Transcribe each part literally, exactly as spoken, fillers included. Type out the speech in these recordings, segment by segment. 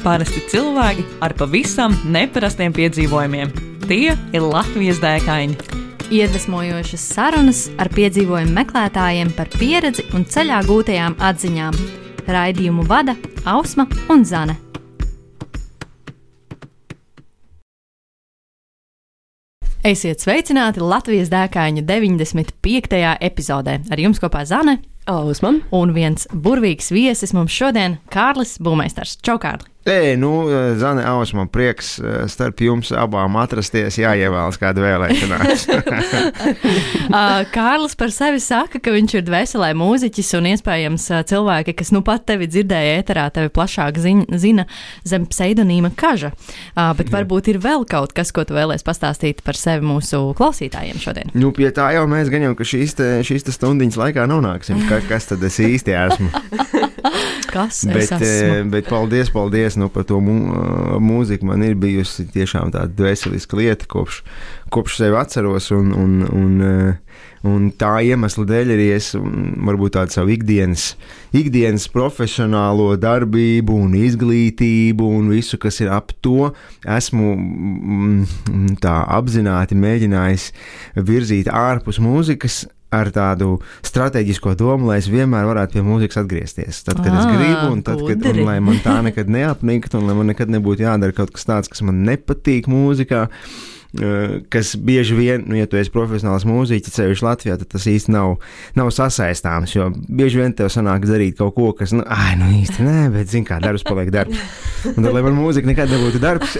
Parasti cilvēki ar pavisam neparastiem piedzīvojumiem. Tie ir Latvijas dēkaini. Iedvesmojošas sarunas ar piedzīvojumu meklētājiem par pieredzi un ceļā gūtajām atziņām. Raidījumu vada Ausma un Zane. Esiet sveicināti Latvijas dēkaiņu deviņdesmit piektajā epizodē. Ar jums kopā Zane, Ausma un viens burvīgs viesis mums šodien – Kārlis Būmeistars. Čau, Kārli! Ei, nu, Zane, Ausma, prieks starp jums abām atrasties, jāievēlas kāda vēlēšanās. Kārlis par sevi saka, ka viņš ir dvēselē mūziķis un iespējams cilvēki, kas nu pat tevi dzirdēja ēterā, tevi plašāk zina zem pseidonīma Kaža. Bet varbūt ir vēl kaut kas, ko tu vēlies pastāstīt par sevi mūsu klausītājiem šodien. Nu, pie tā jau mēs gan jau, ka šīs te, šīs te stundiņas laikā nonāksim. Ka, kas tad es īsti esmu? Kas bet, es esmu? Bet paldies, paldies nu, par to mū, mūziku. Man ir bijusi tiešām tāda dvēseliska lieta, kopš, kopš sevi atceros. Un, un, un, un tā iemesla dēļ arī es varbūt tādu savu ikdienas, ikdienas profesionālo darbību un izglītību un visu, kas ir ap to, esmu tā apzināti mēģinājis virzīt ārpus mūzikas, ar tādu strateģisko domu, lai es vienmēr varētu pie mūzikas atgriezties. Tad, kad à, es gribu, un tad, kad, un lai man tā nekad neapnikt, un lai man nekad nebūtu jādara kaut kas tāds, kas man nepatīk mūzikā, kas bieži vien, nu, ja tu esi profesionāls mūziķis, ceļš Latvijā, tad tas īsti nav, nav sasaistāms, jo bieži vien tev sanāk darīt kaut ko, kas, nu, ai, nu īsti nē, bet, zin kā, darbs paliek darbs. Un tad, lai man mūzika nekad nebūtu darbs,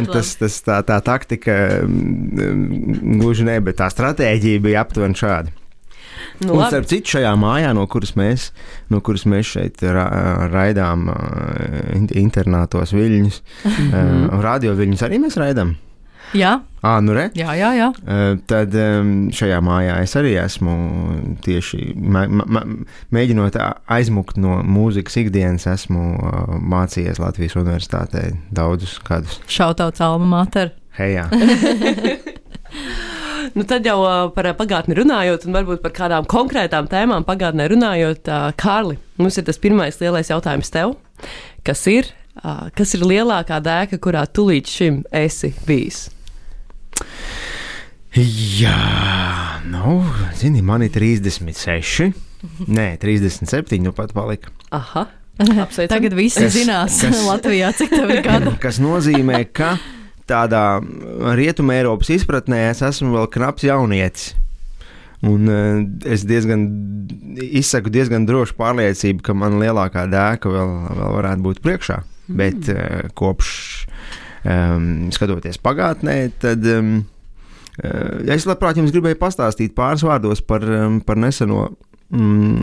tas, tas, tā, tā taktika gluži ne, bet tā stratēģija bija aptuveni šāda. Nu, un starp citu šajā mājā, no kuras mēs, no kuras mēs šeit ra, raidām internātos viļņus, mm-hmm. radio viļņus arī mēs raidām? Jā. À, nu re? Jā, jā, jā. Tad šajā mājā es arī esmu tieši mē, mē, mēģinot aizmukt no mūzikas ikdienas, esmu mācījies Latvijas universitātē daudzus gadus. Šautauts alma mater. Hejā. Nu, tad jau par pagātni runājot un varbūt par kādām konkrētām tēmām pagātnē runājot, Kārli, mums ir tas pirmais lielais jautājums tev. Kas ir, kas ir lielākā dēka, kurā tu līdz šim esi bijis? Jā, nu, zini, man ir trīsdesmit seši, nē, trīsdesmit septiņi, nu pat palika. Aha, apsveicam. Tagad visi kas, zinās kas, Latvijā, cik tev ir gadu. Kas nozīmē, ka tādā Rietuma Eiropas izpratnē es esmu vēl knaps jaunietis. Un uh, es diezgan, izsaku diezgan drošu pārliecību, ka man lielākā dēka vēl, vēl varētu būt priekšā. Mm. Bet uh, kopš um, skatoties pagātnē, tad um, uh, es labprāt jums gribēju pastāstīt pāris vārdos par, um, par neseno um,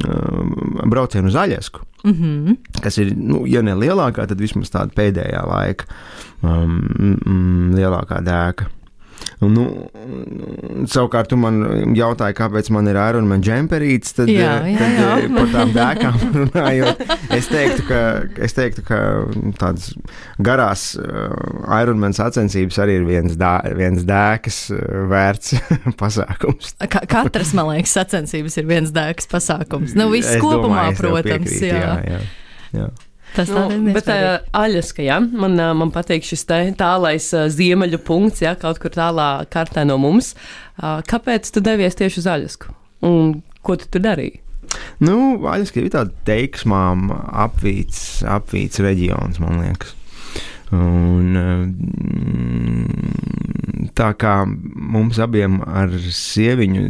braucienu uz Aļasku, mm-hmm. kas ir, nu, ja ne lielākā, tad vismaz tāda pēdējā laika um, um, lielākā dēka. Un, nu, savukārt tu man jautāji, kāpēc man ir Iron Man džemperīts, tad, jā, jā, tad jā. par tām dēkām runājot, es teiktu, ka, es teiktu, ka tādas garās uh, Iron Man sacensības arī ir viens, dā, viens dēkas uh, vērts pasākums. Ka, katras, man liekas, sacensības ir viens dēkas pasākums. Nu, viss es kopumā, domāju, protams. Piekrīt, jā. Jā, jā, jā. Tas nu, bet uh, Aļaska, jā, man, uh, man patīk šis te tālais uh, ziemeļu punkts, jā, kaut kur tālā kartē no mums. Uh, kāpēc tu devies tieši uz Aļasku? Un ko tu tur darīji? Nu, Aļaska ir tāda teiksmām apvīts, apvīts reģions, man liekas. Un tā kā mums abiem ar sieviņu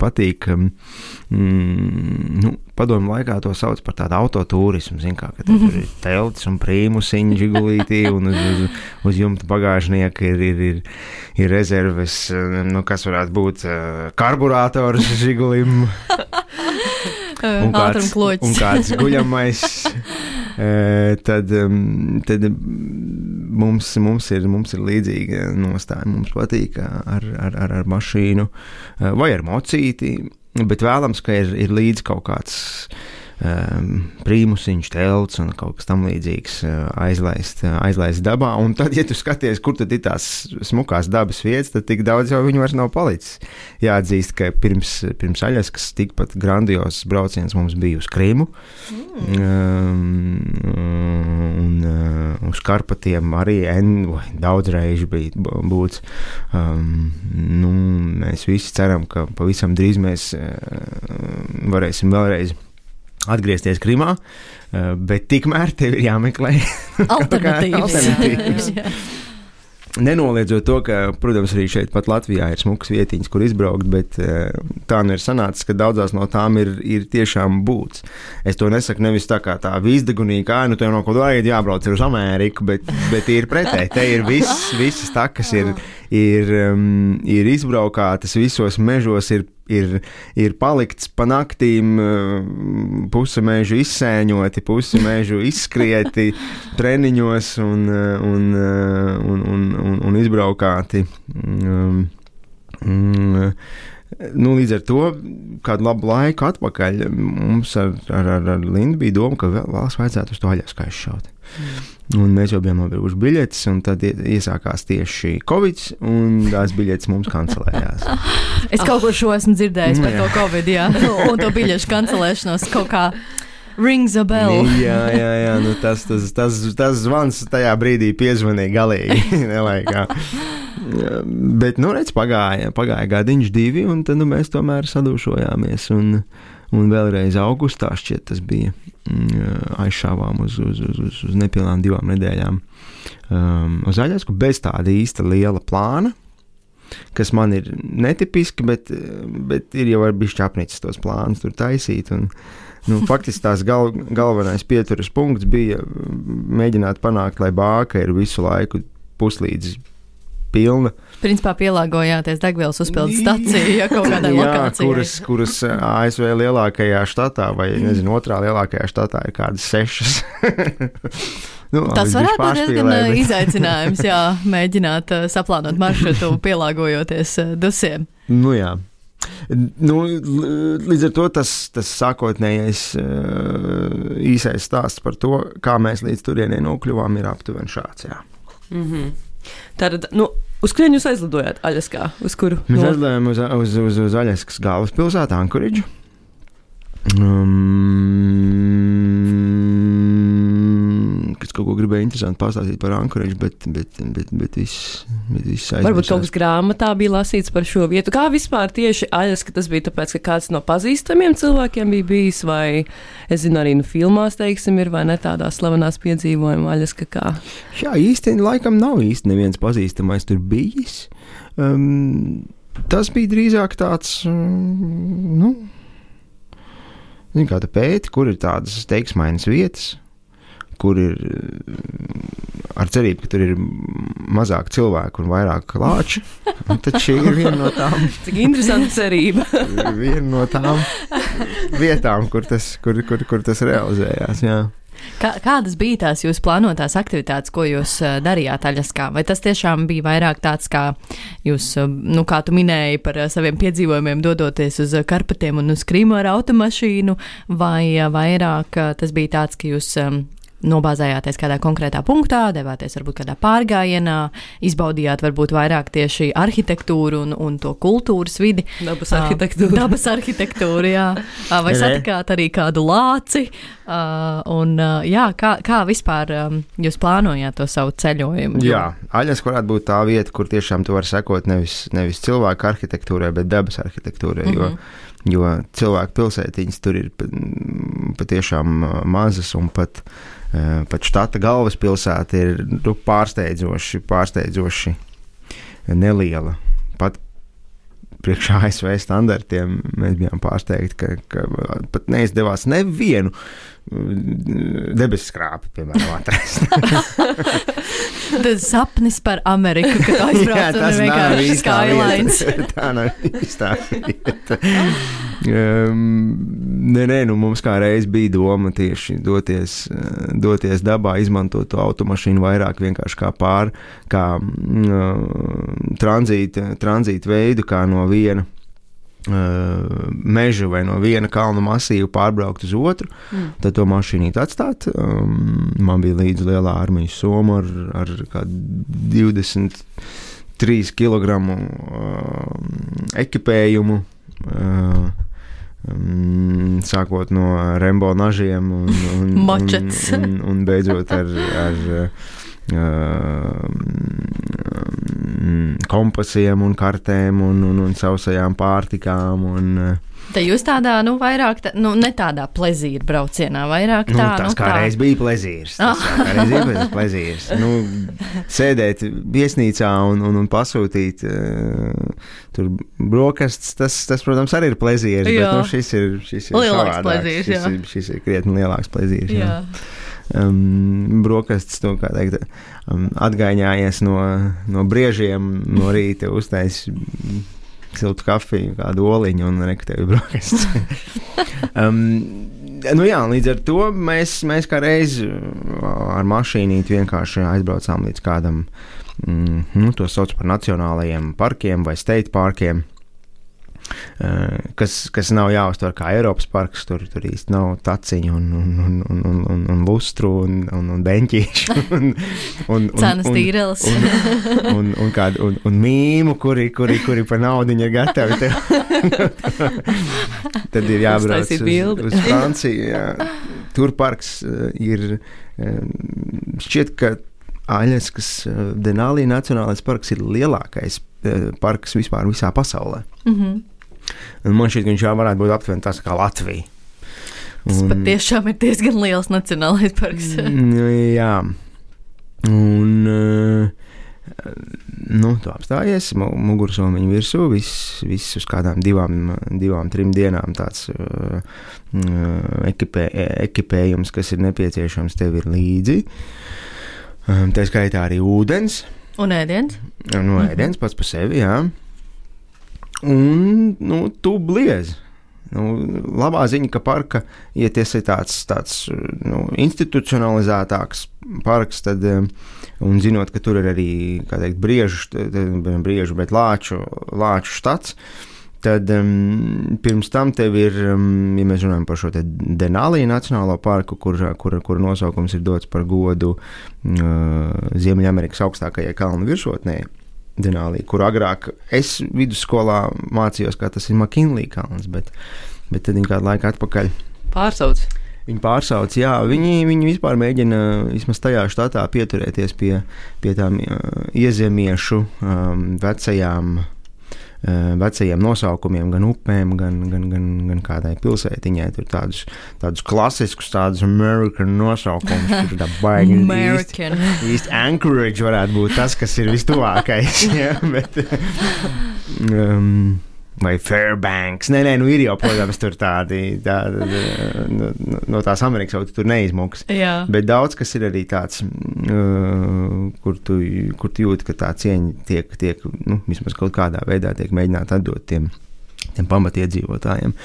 patīk, mm, nu, padomu laikā to sauc par tādu autotūrismu, zin kā, ka tur mm-hmm. ir teltis un prīmusiņi žigulītī un uz, uz, uz jumta bagāžnieka ir, ir, ir, ir rezerves, nu, kas varētu būt karburātors žigulim un kāds, un kāds guļamais. Uh, tad, um, tad mums, mums, ir, mums ir līdzīga nostāja. Mums patīk ar, ar, ar, ar mašīnu uh, vai ar mocīti, bet vēlams, ka ir, ir līdz kaut kāds um, prīmusiņš, telts un kaut kas tam līdzīgs uh, aizlaist, uh, aizlaist dabā. Un tad, ja tu skaties, kur tad ir tās smukās dabas vietas, tad tik daudz jau viņu vairs nav palicis. Jāatzīst, ka pirms, pirms Aļaskas tikpat grandios brauciens mums bija uz Krimu. Mm. Um, un uh, uz Karpatiem arī en, daudz reižu bija būts. Um, nu, mēs visi ceram, ka pavisam drīz mēs uh, varēsim vēlreiz atgriezties Krimā, uh, bet tikmēr tev ir jāmeklē alternatīvas. alternatīvas. Nenoliedzot to, ka, protams, arī šeit pat Latvijā ir smukas vietiņas, kur izbraukt, bet uh, tā nu ir sanācis, ka daudzās no tām ir, ir tiešām būts. Es to nesaku nevis tā kā tā vīzdegunīgi, kā, nu, tev no kaut kā jābrauc uz Ameriku, bet, bet ir pretēji. Te ir viss, visas takas ir, ir, um, ir izbraukātas, visos mežos ir Ir, ir palikts pa naktīm, puse mēžu izsēņoti, puse mēžu izskrieti treniņos un, un, un, un, un, un izbraukāti. Um, um, nu, līdz ar to, kādu labu laiku atpakaļ, mums ar, ar, ar Lindu bija doma, ka vēl valsts vajadzētu uz to Aļasku aizšaut. Mm. Un mēs jau bijām nopirkuši biļetes, un tad iesākās tieši Covid, un tās biļetes mums kancelējās. Es kaut ko šo esmu dzirdējis par to Covid, jā, un to biļešu kancelēšanos kaut kā rings a bell. Jā, jā, jā, nu tas, tas, tas, tas zvans tajā brīdī piezvanīja galīgi, nelaikā. Bet, nu, redz, pagāja, pagāja gadiņš divi, un tad nu, mēs tomēr sadūšojāmies, un, un vēlreiz augustā šķiet tas bija. Aizšāvām uz, uz, uz, uz, uz nepilnām divām nedēļām um, uz Aļasku bez tāda īsta liela plāna, kas man ir netipiski, bet, bet ir jau ar bišķi apnicis tos plānus tur taisīt. Un, nu, faktiski tās gal, galvenais pieturas punkts bija mēģināt panākt, lai bāka ir visu laiku puslīdz pilna. Principā pielāgojāties degvielas uzpildes stacijai, ja kaut kādai lokācijai. Kuras, kuras A S V lielākajā štatā, vai nezinu, otrā lielākajā štatā ir kādas sešas. Nu, tas varētu būt diezgan bet... izaicinājums, jā, mēģināt uh, saplānot maršrutu, pielāgojoties uh, dusiem. Nu jā. Nu, līdz ar to tas, tas sākotnējais uh, īsais stāsts par to, kā mēs līdz turienei nokļuvām, ir aptuveni šāds, jā. Mhm. Tātad, nu, uz kurien jūs aizlidojāt Aļaskā? Uz kuru? Mēs no... aizlidojām uz, uz, uz, uz Aļaskas galvaspilsētu Ankoridžu. Um, kas kaut ko gribēja interesanti pastāstīt par Ankoridžu, bet, bet, bet, bet viss, bet viss aizmirsās. Varbūt kaut kas grāmatā bija lasīts par šo vietu. Kā vispār tieši Aļaska tas bija tāpēc, ka kāds no pazīstamiem cilvēkiem bija bijis, vai, es zinu, arī nu filmās, teiksim, ir, vai ne tādās slavenās piedzīvojuma Aļaska kā? Jā, īsti laikam nav īsti neviens pazīstamais tur bijis. Um, tas bija drīzāk tāds, um, nu, zin, kā tu pēti, kur ir tādas teiksmainas vietas, kur ir ar cerību, ka tur ir mazāk cilvēku un vairāk lāču. Un tad šī ir viena no tām. Cik interesanta cerība. Viena no tām vietām, kur tas, kur, kur, kur tas realizējās, jā. Kā, kādas bija tās jūsu plānotās aktivitātes, ko jūs uh, darījāt Aļaskā? Vai tas tiešām bija vairāk tāds, kā jūs, uh, nu, kā tu minēji par uh, saviem piedzīvojumiem, dodoties uz uh, Karpatiem un uz Krimu ar automašīnu, vai uh, vairāk uh, tas bija tāds, ka jūs um, nobāzējāties kādā konkrētā punktā, devāties varbūt kādā pārgājienā, izbaudījāt varbūt vairāk tieši arhitektūru un, un to kultūras vidi. Dabas arhitektūru. Uh, dabas arhitektūru, jā. Uh, vai satikāt arī kādu lāci? Uh, un, uh, jā, kā, kā vispār um, jūs plānojāt to savu ceļojumu? Jā, Aļaska varētu būt tā vieta, kur tiešām tu vari sekot nevis, nevis cilvēku arhitektūrai, bet dabas arhitektūrai, mm-hmm. jo, jo cilvēku pilsētiņas tur ir patiešām mazas un pat pat štata galvaspilsēta ir nu, pārsteidzoši, pārsteidzoši neliela. Pat priekš A S V standartiem mēs bijām pārsteigti, ka, ka pat neizdevās nevienu debesu skrāpi, piemēram, atrast. Tas sapnis par Ameriku, kad aizbrauc un vienkārši skylines. Tā nav īstā vieta. Um, nē, nē, nu mums kā reiz bija doma tieši doties, doties dabā, izmantot to automašīnu vairāk vienkārši kā pār, kā uh, tranzīta, tranzīta veidu, kā no viena mežu vai no viena kalna masīva pārbraukt uz otru, mm. tad to mašīnīti atstāt. Um, man bija līdzi lielā armijas soma ar, ar kādu divdesmit trīs kilogramu uh, ekipējumu, uh, um, sākot no Rembo nažiem un, un, un, un, un beidzot ar, ar Uh, kompasiem un kartēm un, un, un sausajām pārtikām. Un, Te jūs tādā, nu, vairāk, tā, nu, ne tādā plezīra braucienā, vairāk tā, nu, tas nu, kādreiz bija plezīrs. Tas kādreiz bija plezīrs. Nu, sēdēt viesnīcā un, un, un pasūtīt uh, tur brokastis, tas, tas, protams, arī ir plezīrs, jā. Bet, nu, šis ir, šis ir lielāks plezīrs, šis, jā. ir, šis ir krietni lielāks plezīrs, jā. jā. Um, brokastis, nu, kā teikt, um, atgaiņājies no, no briežiem no rīta, uztais siltu kafiju, kādu oliņu un rektevi brokastis. um, nu jā, līdz ar to mēs, mēs kā reiz ar mašīnīti vienkārši aizbraucām līdz kādam, mm, nu, to sauc par nacionālajiem parkiem vai state parkiem. Uh, kas, kas nav jāuztver kā Eiropas parks, tur, tur īsti nav taciņu un, un, un, un, un, un, un lustru un, un, un beņķīšu un, un, cenas tīreles un, un, un, un, kādu, un, un mīmu, kuri, kuri, kuri pa naudiņu ir gatavi tev. Tad ir jābrauc uz, uz Franciju. Jā. Tur parks uh, ir uh, šķiet, ka Aļaskas uh, Denali Nacionālais parks ir lielākais uh, parks vispār visā pasaulē. Mhm. Un man šķiet, ka viņš jau varētu būt aptuveni tas kā Latvija. Tas un, patiešām ir diezgan liels nacionālais parks. Jā. Un, nu, tu apstājies, mugursomiņu virsū, viss, viss uz kādām divām, divām, trim dienām tāds uh, ekipē, ekipējums, kas ir nepieciešams, tev ir līdzi. Um, tā skaitā arī ūdens. Un ēdiens. Un no ēdiens pats par sevi, jā. Un, nu, tu bliez. Nu, labā ziņa, ka parka, ja tas ir tāds, tāds nu, institucionalizētāks parks, tad, un zinot, ka tur ir arī, kā teikt, briežu, briežu, bet lāču, lāču štats, tad um, pirms tam tev ir, um, ja mēs runājam par šo te Denali Nacionālo parku, kur, kur, kur nosaukums ir dots par godu uh, Ziemeļamerikas augstākajai kalnu virsotnē, Denali, kur agrāk es vidusskolā mācījos, kā tas ir McKinley kalns, bet, bet tad viņi kādu laiku atpakaļ pārsauc. Viņi pārsauc, jā, viņi, viņi vispār mēģina vismaz tajā štatā pieturēties pie, pie tām uh, iezemiešu um, vecajām vecajiem nosaukumiem, gan upēm, gan, gan, gan, gan kādai pilsētiņai. Tur tādus, tādus klasiskus, tādus American nosaukumus. Tur tā baigi American. Īsti, īsti Anchorage varētu būt tas, kas ir vistuvākais. Ja? Bet, um, vai Fairbanks. Nē, nē, nu ir jau, protams, tur tādi, tādi no, no tās Amerikas jau tur neizmuks. Jā. Bet daudz, kas ir arī tāds, uh, kur, tu, kur tu jūti, ka tā cieņa tiek, tiek nu, vismaz kaut kādā veidā tiek mēģināt atdot tiem, tiem pamatiedzīvotājiem,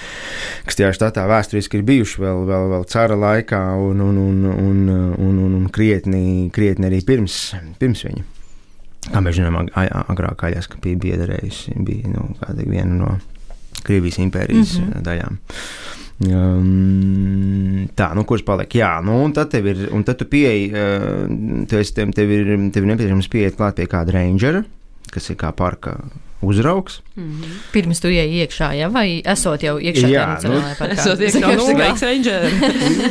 kas tajā štatā vēsturiski ir bijuši vēl, vēl, vēl cara laikā un, un, un, un, un, un, un krietni, krietni arī pirms, pirms viņa. Kā mēs zinām, agrāk Aļaska bija biederējusi, bija nu, viena no Krievijas impērijas mm-hmm. daļām. Um, tā, nu, kurš paliek? Jā, nu, un tad tev ir, un tad tu pieeji, uh, tev, tev ir, tev ir nepieciešams pieiet klāt pie kāda rangera, kas ir kā parka uzraugs. Mm-hmm. Pirms tu ieej iekšā, ja? Vai esot jau iekšā? Jā, nu, esot iekšā, nu, sveiks, ranger.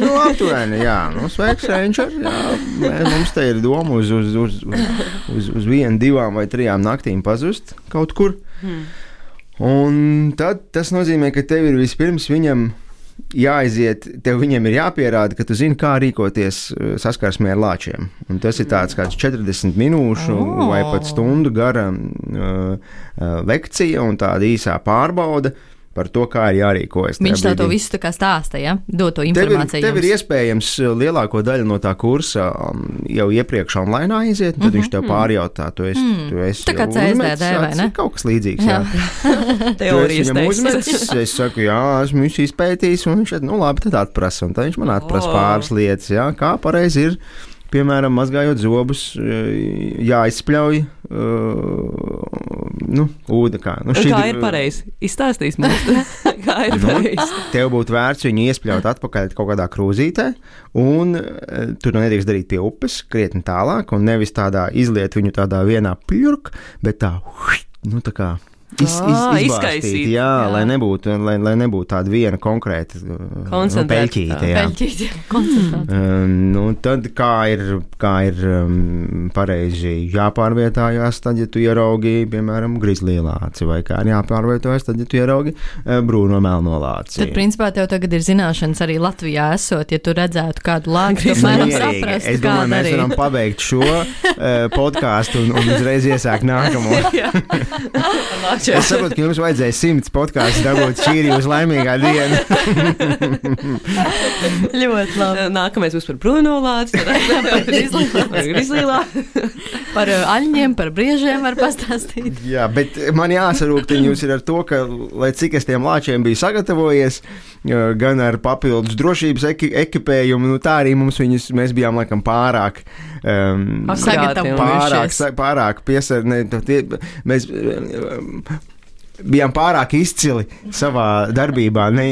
Nu, aptuveni, jā, nu, sveiks, ranger, jā. Mums te ir doma uz, uz, uz, uz, uz, uz vienu, divām vai trijām naktīm pazust kaut kur. Hmm. Un tad tas nozīmē, ka tev ir vispirms viņam jāaiziet, tev viņiem ir jāpierāda, ka tu zini, kā rīkoties saskarsmē ar lāčiem. Un tas ir tāds kāds četrdesmit minūšu oh. vai pat stundu gara uh, uh, lekcija un tāda īsā pārbauda par to, kā ir jārīkojas. Viņš tā to visu tā kā stāsta, ja? Dod to informāciju. Tev ir, tev ir iespējams lielāko daļu no tā kursa jau iepriekš online aiziet, tad mm-hmm. viņš tev pārjautā, tu esi, mm. tu esi tā kā C S D D, vai ne? Kaut kas līdzīgs, jā. jā. Teorijas uzmetis, es saku, jā, esmu viņš izpētījis, un viņš šeit, nu labi, tad atprasa, un tad viņš man atprasa oh. pāris lietas, jā, kā pareizi ir. Piemēram, mazgājot zobus, jāizspļauj, nu, ūda kā. Nu, šķidru... Kā ir pareizi? Izstāstīs mums, kā ir pareizi. Nu, tev būtu vērts viņu iespļaut atpakaļ kaut kādā krūzītē, un tur nedrīkst darīt pie upes, krietni tālāk, un nevis tādā izliet viņu tādā vienā pļurk, bet tā, nu tā kā... Iz, iz, izkaisīt, jā, jā. Lai, nebūtu, lai, lai nebūtu tāda viena konkrēta peļķīte. Jā. Peļķīte, koncentrēta. Um, nu, tad kā ir, kā ir um, pareizi jāpārvietājās, tad, ja tu ieraugi, piemēram, grizlī lāci, vai kā ir jāpārvietojas, tad, ja tu ieraugi uh, brūno melno lāci. Tad, principā, tev tagad ir zināšanas arī Latvijā esot, ja tu redzētu kādu lāci, tu mēram saprast, es domāju, mēs varam pabeigt šo uh, podcastu un, un uzreiz iesākt nākamo. Es saprotu, ka jums vajadzēja simts podkāstus dabūt, šī ir jūsu laimīgā diena. Ļoti labi. Nākamais būs par Bruno lāci, par Grizlīlā. Par aļņiem, par briežiem var pastāstīt. Jā, bet man jāsarūktiņ jūs ir ar to, ka, lai cik es tiem lāčiem biju sagatavojies, gan ar papildus drošības eki, ekipējumu, nu tā arī mums viņus, mēs bijām laikam pārāk um, pārāk, pārāk piesar, ne, tie, mēs um, bijām pārāk izcili savā darbībā, ne,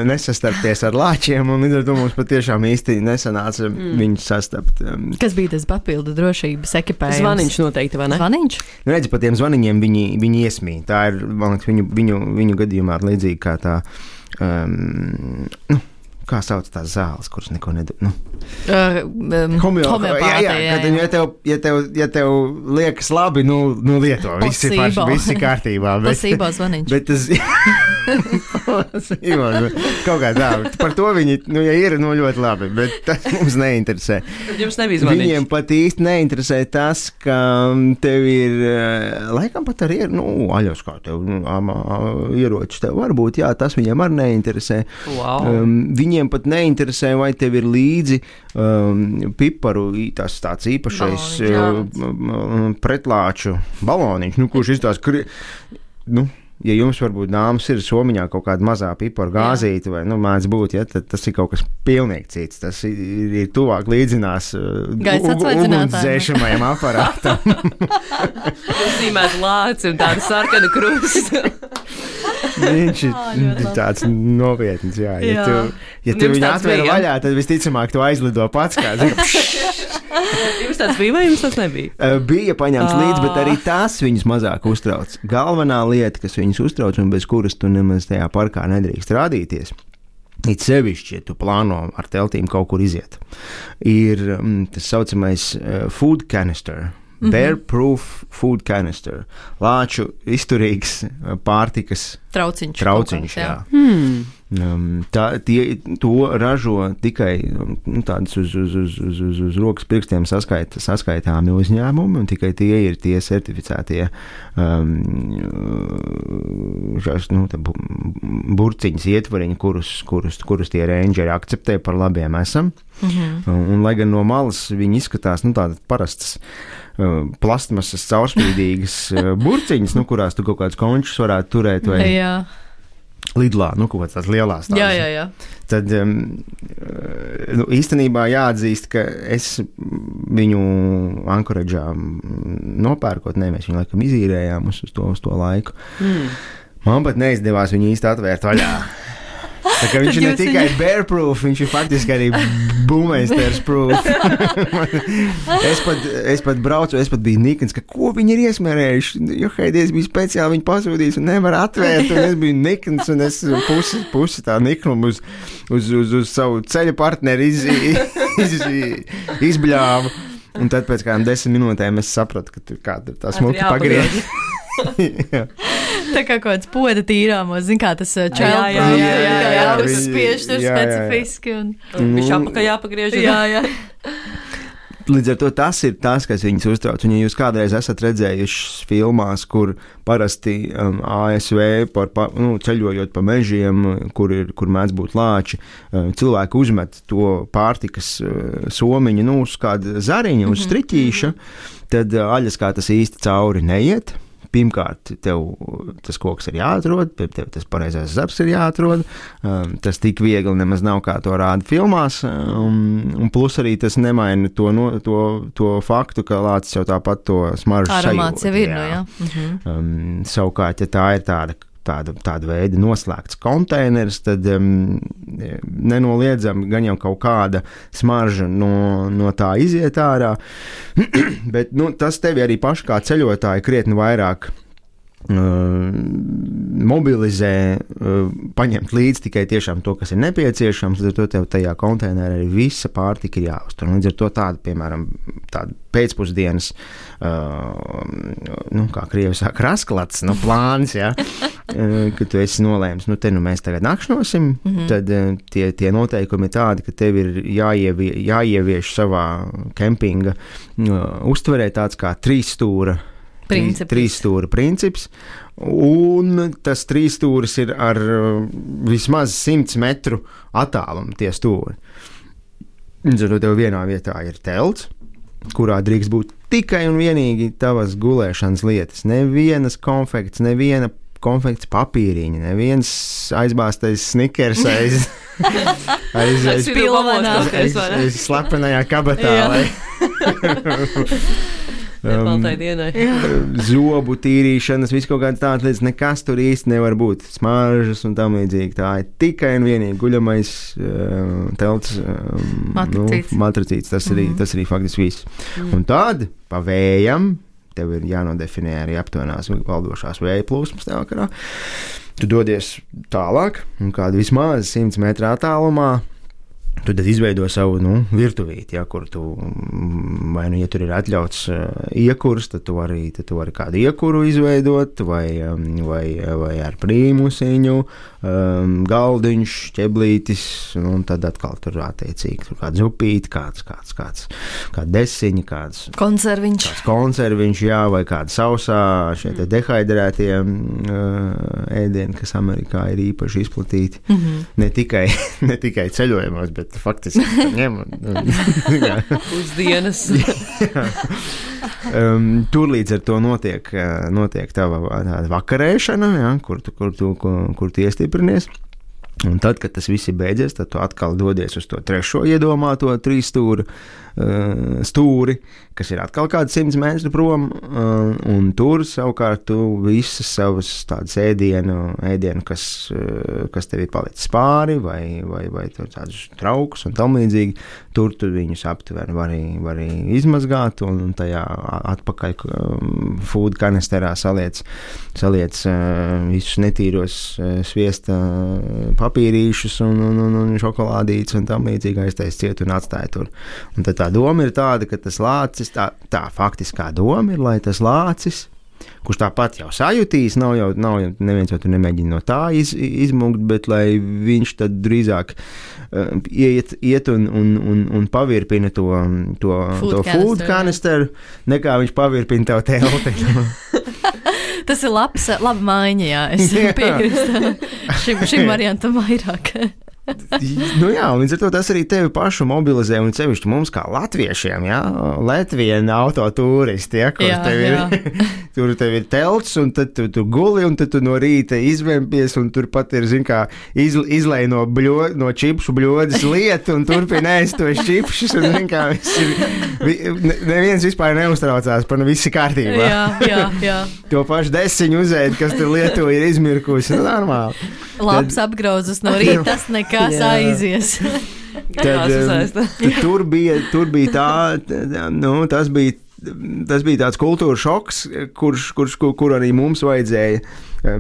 nesastarpties ar lāčiem, un līdz ar to mums patiešām īsti nesanāca mm. viņus sastapt. Kas bija tas papildu drošības ekipējums? Zvaniņš noteikti, vai ne? Zvaniņš? Nu, redzi, pa tiem zvaniņiem viņi, viņi iesmī. Tā ir, man liekas, viņu, viņu, viņu gadījumā līdzīgi kā tā, um, nu, kā sauc tās zāles, kuras neko nedod. Nu. Uh, um, Homeopātija. Jā, jā, kad, ja, tev, ja, tev, ja tev liekas labi, nu, nu lieto. Viss ir, paši, viss ir kārtībā. Bet, Pasībā zvaniņš. Bet tas... Kaut kā tā. Par to viņi, nu, ja ir, nu, ļoti labi, bet tas mums neinteresē. Jums nebija zvaniņš. Viņiem pat īsti neinteresē tas, ka tev ir, laikam pat arī ir, nu, aļos kā tev, nu, ieroči tev varbūt, jā, tas viņiem arī neinteresē. Wow. Um, viņiem pat neinteresē, vai tev ir līdzi um, piparu, tas tāds īpašais uh, pretlāču baloniņš, nu, kurš iztās, kri... nu, ja jums varbūt dāmas ir somiņā kaut kāda mazā piparu gāzīte, vai, nu, mēdz būt, ja, tad tas ir kaut kas pilnīgi cits. Tas ir, ir tuvāk līdzinās uh, ugunsdzēšamajam aparātam. Zīmēt lāci un tādu sarkanu krustu. Viņš ir oh, tāds nopietns, jā. Ja jā. tu, ja tu viņu atver vaļā, tad visticamāk tu aizlido pats kā. Jums tāds bija vai jums tas nebija? Uh, bija paņemts līdz, bet arī tās viņus mazāk uztrauc. Galvenā lieta, kas viņus uztrauc un bez kuras tu nemaz tajā parkā nedrīkst rādīties, it sevišķi, ja tu plāno ar teltīm kaut kur iziet, ir um, tas saucamais uh, food canister. Bear-proof food canister. Lāču izturīgs pārtikas trauciņš. Trauciņš, jā. jā. Hmm. Um, tā, tie, to ražo tikai nu, tādas uz, uz, uz, uz, uz, uz rokas pirkstiem saskait, saskaitāmi uzņēmumi, un tikai tie ir tie certificētie um, šās, nu, burciņas ietvariņi, kurus, kurus, kurus tie rangeri akceptē par labiem esam. Mm-hmm. Un, un lai gan no malas viņi izskatās, nu, tādas parastas uh, plastmasas caurspīdīgas uh, burciņas, nu, kurās tu kaut kādus končus varētu turēt vai... Jā. Lidlā, nu, kaut kāds tās lielās tādas. Jā, jā, jā. Tad um, nu, īstenībā jāatzīst, ka es viņu Ankoredžā nopērkot, ne, mēs viņu laikam izīrējām uz, uz, to, uz to laiku. Mm. Man pat neizdevās viņu īsti atvērt vaļā. Tā kā viņš ir ne tikai bear-proof, viņš ir faktiski arī boommeisters-proof. es, pat, es pat braucu, es pat biju nikns, ka ko viņi ir iesmērējuši. Jo Heidies bija speciāli viņu pasūtījis un nevar atvērt, un es biju nikns, un es pusi, pusi tā niknumu uz, uz, uz, uz savu ceļa partneri iz, iz, iz, izbļāvu. Un tad pēc kādām desmit minūtēm es sapratu, ka tur kāda tā smuki pagriež. Tā kā kaut kāds poda tīrāmos, zin kā tas čelprūf, jā, jā, jā, jā, jā, jā, jā, tas spiež tur specifiski. Un... Viņš apakā jāpagriež. Jā, jā. Līdz ar to tas ir tas, kas viņus uztrauc. Un ja jūs kādreiz esat redzējuši filmās, kur parasti um, A S V par, pa, nu, ceļojot pa mežiem, kur, ir, kur mēdz būt lāči, um, cilvēki uzmet to pārtikas uh, somiņu, nu, uz kāda zariņa, uz striķīša, tad uh, aļas kā tas īsti cauri neiet. pirmkārt, tev tas koks ir jāatrod, tev tas pareizais zaps ir jāatrod, um, tas tik viegli nemaz nav, kā to rāda filmās, um, un plus arī tas nemaina to, no, to, to faktu, ka lācis jau tāpat to smaržu sajūt. Aromāts jau ir, jā. No, jā. Mhm. Um, savukārt, ja tā ir tāda Tāda, tāda veida noslēgts konteiners, tad um, nenoliedzami gan jau kaut kāda smarža no, no tā iziet ārā, bet nu, tas tevi arī paši kā ceļotāji krietni vairāk uh, mobilizē, uh, paņemt līdzi tikai tiešām to, kas ir nepieciešams, tad to tev tajā konteinerā arī visa pārtika ir jāuztur. Līdz ar to tāda, piemēram, tāda pēcpusdienas, uh, nu, kā krievi saka, rasklats, nu, plāns, jā, uh, ka tu esi nolēms, nu, te nu mēs tagad nakšņosim, mm-hmm. tad uh, tie, tie noteikumi ir tādi, ka tev ir jāievie, jāievieš savā kempinga uh, uztverē tāds kā trīs stūra Princips. Trīs stūra princips, un tas trīs stūris ir ar uh, vismaz simts metru attālumu tie stūri. Tad tev vienā vietā ir telts, kurā drīkst būt tikai un vienīgi tavas gulēšanas lietas. Nevienas konfekts, neviena konfekts papīriņa, neviens aizbāztais snikers aiz, aiz, aiz, aiz, aiz, aiz slepenajā kabatā. Nepaltai dienai. Um, zobu tīrīšanas, viss kaut kāds tāds lietas, nekas tur īsti nevar būt. Smaržas un tam līdzīgi. Tā ir tikai un vienīgi guļamais um, telts um, matricīts. Nu, matricīts. Tas, mm-hmm. arī, tas arī faktiski viss. Mm. Un tad pa vējam tev ir jānodefinē arī aptuvenās valdošās vēja plūsmas tajā vakarā. Tu dodies tālāk un kādu vismaz simts metru attālumā tu tad izveido savu, nu, virtuvīti, ja, kur tu, vai, nu, ja tur ir atļauts uh, iekurs, tad tu vari, tad tu vari kādu iekuru izveidot, vai, um, vai, vai ar prīmusiņu, um, galdiņš, ķeblītis, un tad atkal tur attiecīgi, tur kāds upīti, kāds, kāds, kāds, kāds desiņi, kāds konserviņš, kāds konserviņš, jā, vai kāda sausā, šie te dehidrētie uh, ēdieni, kas Amerikā ir īpaši izplatīti, mm-hmm. ne tikai, ne tikai ceļojumos, bet faktiski ņem uz dienas. um, tur līdz ar to notiek, notiek tava vakarēšana, ja, kur, tu, kur, tu, kur, kur tu iestiprinies. Un tad, kad tas viss ir beidzies, tad tu atkal dodies uz to trešo iedomāto trīs stūri, uh, stūri, kas ir atkal kāds simts metru prom, uh, un tur savukārt tu visas savas tādas ēdienu, ēdienu kas, uh, kas tev ir palicis pāri, vai, vai, vai tādus traukus un tam līdzīgi, tur tu viņus aptver, vari, vari izmazgāt, un, un tajā atpakaļ um, food kanisterā saliec, saliec uh, visus netīros uh, sviesta uh, papīrīšus un, un, un, un šokolādītes un tam līdzīgi aiztais ciet un atstāja tur. Un tad tā doma ir tāda, ka tas lācis, tā, tā faktiskā doma ir, lai tas lācis, kurš tāpat jau sajutīs, nav jau, nav jau neviens jau tur nemēģina no tā iz, izmukt, bet lai viņš tad drīzāk uh, iet, iet un, un, un, un pavirpina to, to food, to food kanisteru, nekā viņš pavirpina tev telti. Tas ir labs, laba maiņa, jā, es piekrīstu šim, šim variantam vairāk. Nu jā, un līdz ar to tas arī tevi pašu mobilizē, un sevišķi mums kā latviešiem, jā, Latvijana autotūristi, ja, kur jā, tev ir, jā. Tur tev ir telts, un tad tu, tu guli, un tad tu no rīta izvempies, un tur pat ir, zin kā, iz, izlej no, bļo, no čipšu bļodas lietu, un turpina ēst tos čipšus, un zin kā, ir, neviens vispār neuztraucās, par visi kārtībā. Jā, jā, jā. To pašu desiņu uzēd, kas tur Lietuva ir izmirkusi, nu normāli. Labs tad, apgrauzes no rīta, tas nekas aizies. Tad, tur, bija, tur bija tā, nu, tas bija, tas bija tāds kultūra šoks, kurš, kurš, kur, kur arī mums vajadzēja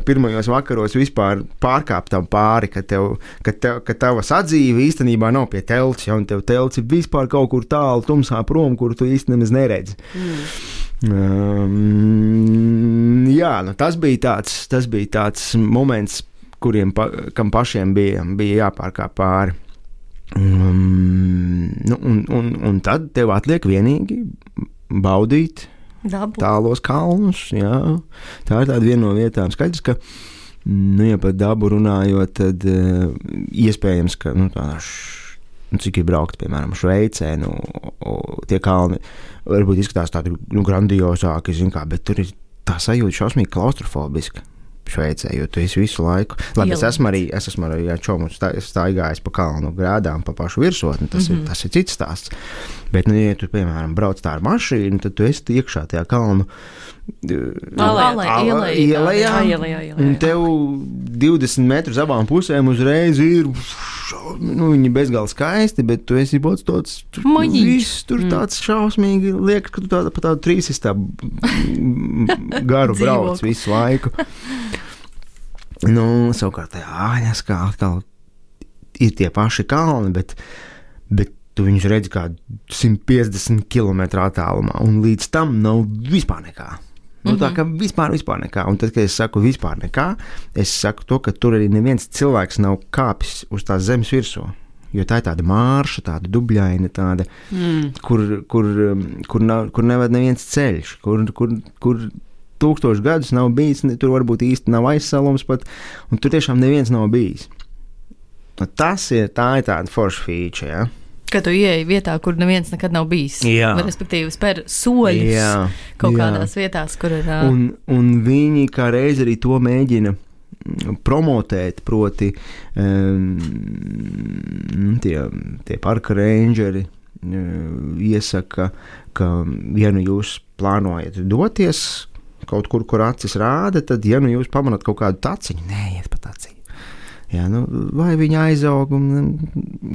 pirmajos vakaros vispār pārkāpt tam pāri, ka, tev, ka, tev, ka tava sadzīve īstenībā nav pie telts, ja, un tev telts ir vispār kaut kur tālu tumsā prom, kur tu īsti nemaz neredzi. Mm. Um, jā, nu, tas bija tāds, tas bija tāds moments, kuriem pa, kam pašiem bija, bija jāpārkāp pāri. Um, nu, un, un, un tad tev atliek vienīgi baudīt dabu. Tālos kalnus. Jā. Tā ir tāda viena no vietām. Skaidrs, ka, nu, ja par dabu runājot, tad uh, iespējams, ka, nu, tā, š, nu, cik ir braukt, piemēram, Šveicē, nu, o, tie kalni varbūt izskatās tādi, nu, grandiozāki, zin kā, bet tur ir tā sajūta šausmīgi klaustrofobiska Šveicē, jo tu esi visu laiku. Labi, es esmu arī, es esmu arī ar čomu staigājis pa kalnu grēdām, pa pašu virsotni, tas, mm-hmm. ir, tas ir cits stāsts. Bet, nu, ja tu, piemēram, brauc tā ar mašīnu, tad tu esi iekšā tajā kalnu ielējā, un tev divdesmit metrus abām pusēm uzreiz ir, nu, viņi bezgalīgi skaisti, bet tu esi būs tāds, viss tur tāds šausmīgi, liekas, ka tu tāda pa tādu trīsistā garu brauc visu laiku. Nu, savukārt tajā āļas, kā atkal ir tie paši kalni, bet, bet tu viņus redzi kā simt piecdesmit kilometru attālumā, un līdz tam nav vispār nekā. Nu, tā kā vispār, vispār nekā. Un tad, kad es saku vispār nekā, es saku to, ka tur arī neviens cilvēks nav kāpis uz tās zemes virsū. Jo tā ir tāda mārša, tāda dubļaina, tāda, mm. kur, kur, kur, nav, kur nevad neviens ceļš, kur, kur, kur tūkstoši gadus nav bijis, tur varbūt īsti nav aizsalums pat, un tur tiešām neviens nav bijis. Nu, tas ir, tā ir tāda forša fīča, ja? Ka tu ieeji vietā, kur neviens nekad nav bijis. Jā. Respektīvi, spēr soļus jā. Kaut jā. Kādās vietās, kur ir... Uh... Un, un viņi kā reiz arī to mēģina promotēt, proti um, tie, tie parka rangeri uh, iesaka, ka ja nu jūs plānojat doties kaut kur, kur acis rāda, tad ja nu jūs pamanat kaut kādu taciņu, neiet pa taciņu. Jā, nu, vai viņi aizaug, un,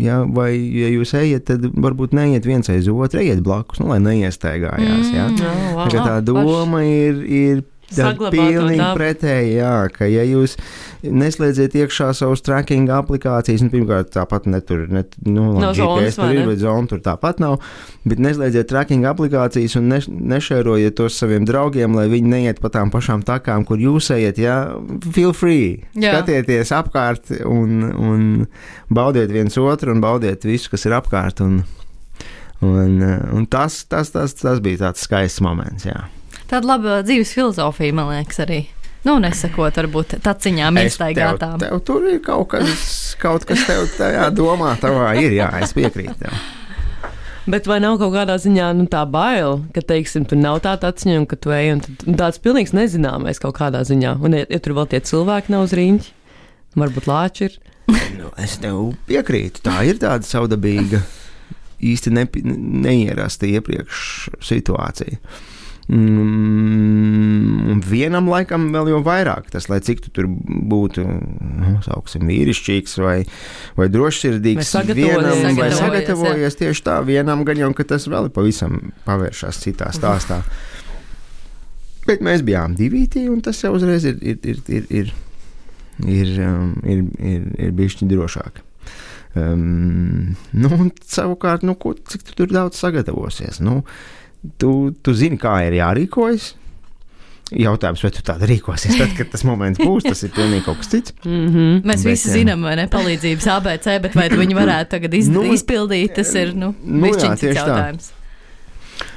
jā, vai, ja jūs ejat, tad varbūt neiet viens aiz otru, ejiet blakus, nu, lai neiestaigājās, jā. Mm, oh, wow. Tā, tā doma ir, ir pilnīgi pretēji, jā, ka ja jūs neslēdziet iekšā savus tracking aplikācijas, nu, pirmkārt, tāpat netur, net, nu, no G P S tur ir, bet zona tur tāpat nav, bet neslēdziet tracking aplikācijas un ne, nešērojiet tos saviem draugiem, lai viņi neiet pa tām pašām takām, kur jūs ejat, jā, feel free, jā. Skatieties apkārt un, un baudiet viens otru un baudiet visu, kas ir apkārt, un, un, un tas, tas, tas, tas bija tāds skaists moments, jā. Tāda laba dzīves filozofija, man liekas, arī. Nu, nesakot, varbūt taciņām iestaigātām. Tev, tev tur ir kaut kas, kaut kas tev tajā domā, tavā ir, jā, es piekrītu tev. Bet vai nav kaut kādā ziņā nu, tā baila, ka, teiksim, tur nav tā taciņa un ka tu ej, un, tad, un tāds pilnīgs nezināmais kaut kādā ziņā. Un, ja, ja tur vēl tie cilvēki nav uz riņķi, varbūt lāči ir. Nu, es tev piekrītu, tā ir tāda savdabīga, īsti ne, neierasta iepriekš situācija. Mm, un vienam laikam vēl jau vairāk, tas, lai cik tu tur būtu, nu, sauksim, vīrišķīgs vai, vai drošsirdīgs, vienam vai sagatavojies tieši tā, vienam gan jau, ka tas vēl pavisam pavēršās citā stāstā. Bet mēs bijām divītī, un tas jau uzreiz ir, ir, ir, ir, ir, ir, um, ir, ir, ir bišķi drošāk. Um, nu, un savukārt, nu, ko, cik tu tur daudz sagatavosies, nu, Tu, tu zini, kā ir jārīkojas. Jautājums, vai tu tāda rīkosies, tad, kad tas moments būs, tas ir pilnīgi kaut kas cits. Mm-hmm. Mēs bet, visi zinām, vai ne, palīdzības A B C, bet vai viņi varētu tagad iz, nu, izpildīt, tas ir, nu, nu jā, tieši jautājums.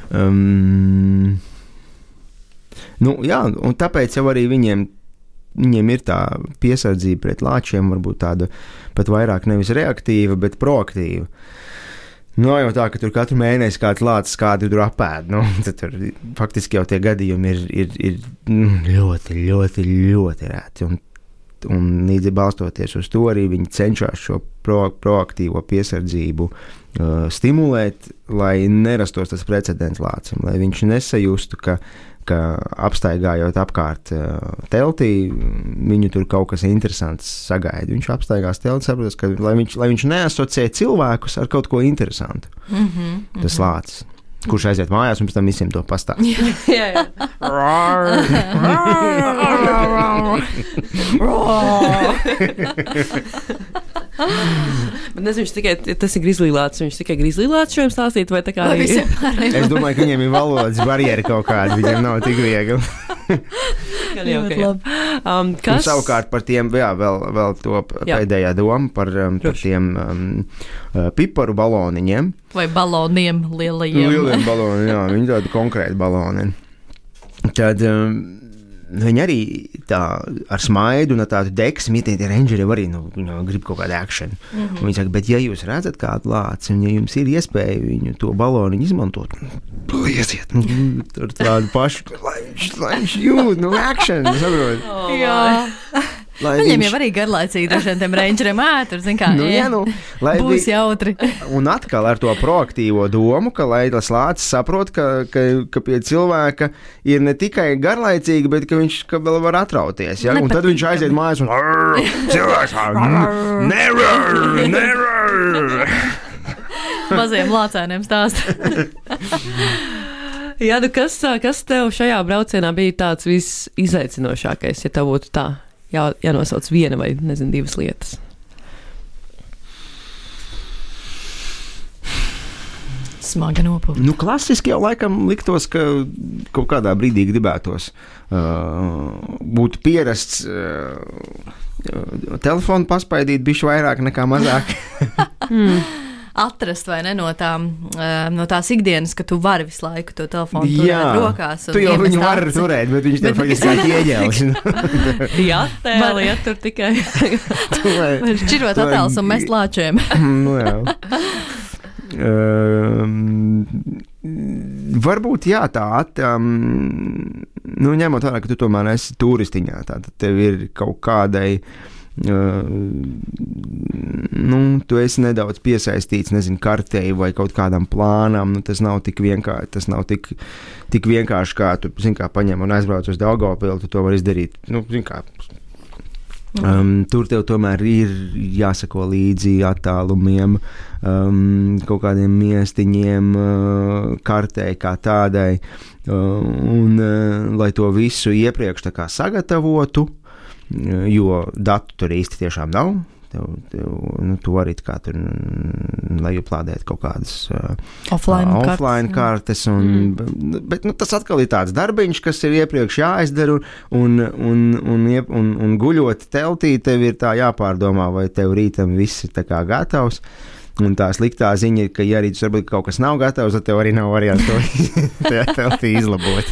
Tā. Um, nu, jā, un tāpēc jau arī viņiem, viņiem ir tā piesardzība pret lāčiem, varbūt tāda pat vairāk nevis reaktīva, bet proaktīva. Nu, jau tā, ka tur katru mēnesi kāds lācis kādu tur apēd, nu, tad tur faktiski jau tie gadījumi ir, ir, ir ļoti, ļoti, ļoti rēti, un, un līdzi balstoties uz to arī viņi cenšas šo pro, proaktīvo piesardzību uh, stimulēt, lai nerastos tas precedents lācim, lai viņš nesajustu, ka ka apstaigājot apkārt uh, teltī, viņu tur kaut kas interesants sagaida. Viņš apstaigās telti, saprotas, ka lai viņš, lai viņš neasociē cilvēkus ar kaut ko interesantu. Mm-hmm, tas mm-hmm. lācis, kurš aiziet mājās un pēc tam visiem to pastāst. jā, jā. Bet nezinu, viņš tikai, tas ir grizlīlāts, viņš tikai grizlīlāts šo jums stāstīt, vai tā kā arī? Es domāju, ka viņiem ir valodas barjeri kaut kāda, viņiem nav tik viegli. jau, okay, um, kas? Un savukārt par tiem, jā, vēl, vēl to jā. Pēdējā doma par, um, par tiem um, piparu baloniņiem. Vai baloniem lielajiem. Lieliem baloniem, jā, viņi tādi konkrēti baloni. Tad um, viņi arī tā ar smaidu un tādu deksmi, tie rangeri arī nu, nu, grib kaut kādu akšanu. Mm-hmm. Viņi saka, bet ja jūs redzat kādu lāci, un ja jums ir iespēja viņu to baloniņu izmantot, liesiet, nu, tur tādu pašu, lai viņš, lai viņš jūt, nu, akšanu, saprot. Oh, jā. Lai Viņiem viņš... jau arī garlaicīgi dažiem tiem rangeriem ētur, zin kā, nu, jā, nu, būs vi... jautri. Un atkal ar to proaktīvo domu, ka lai tas lācis saprot, ka, ka, ka pie cilvēka ir ne tikai garlaicīgi, bet ka viņš ka vēl var atrauties, ja? Un tad viņš aiziet mājās un cilvēks, never, never. Maziem lācēniem stāst. Jā, nu kas, kas tev šajā braucienā bija tāds visizaicinošākais, ja tev būtu tā? Jā, jānosauc viena vai, nezinu, divas lietas. Smaga nopūta. Nu, klasiski jau laikam liktos, ka kaut kādā brīdī gribētos uh, būt pierasts uh, telefonu paspaidīt bišķi vairāk nekā mazāk. mm. Atrast vai ne no, tām, no tās ikdienas, ka tu vari visu laiku to telefonu turēt rokās. Tu jau viņu vari turēt, bet viņš tev faktiski ieģēlis. Jā, tēli, ja tur tikai. Šķirot attēlus un mest lāčiem. Nu jā. Um, varbūt jā, tā, um, nu ņemot vērā, ka tu tomēr esi turistiņā, tātad tev ir kaut kādai Uh, nu, tu esi nedaudz piesaistīts, nezinu, kartei vai kaut kādam plānam, nu, tas nav tik vienkārši, tas nav tik, tik vienkārši, kā tu, zin kā, paņem un aizbrauc uz Daugavpilu, tu to var izdarīt, nu, zin kā, um, tur tev tomēr ir jāsako līdzi attālumiem, um, kaut kādiem miestiņiem, uh, kartei kā tādai, uh, un, uh, lai to visu iepriekš tā kā sagatavotu, jo datu tur īsti tiešām nav. Tev, tev, nu, tu vari kā tur, lai uplādēt kaut kādas uh, offline, uh, offline kartes, un, mm. bet nu, tas atkal ir tāds darbiņš, kas ir iepriekš jāizdara, un, un, un, un, un guļot teltī, tev ir tā jāpārdomā, vai tev rītam viss ir tā kā gatavs. Un tā sliktā ziņa ir, ka, ja arī varbūt kaut kas nav gatavs, tad tev arī nav variants to tajā teltī izlabot.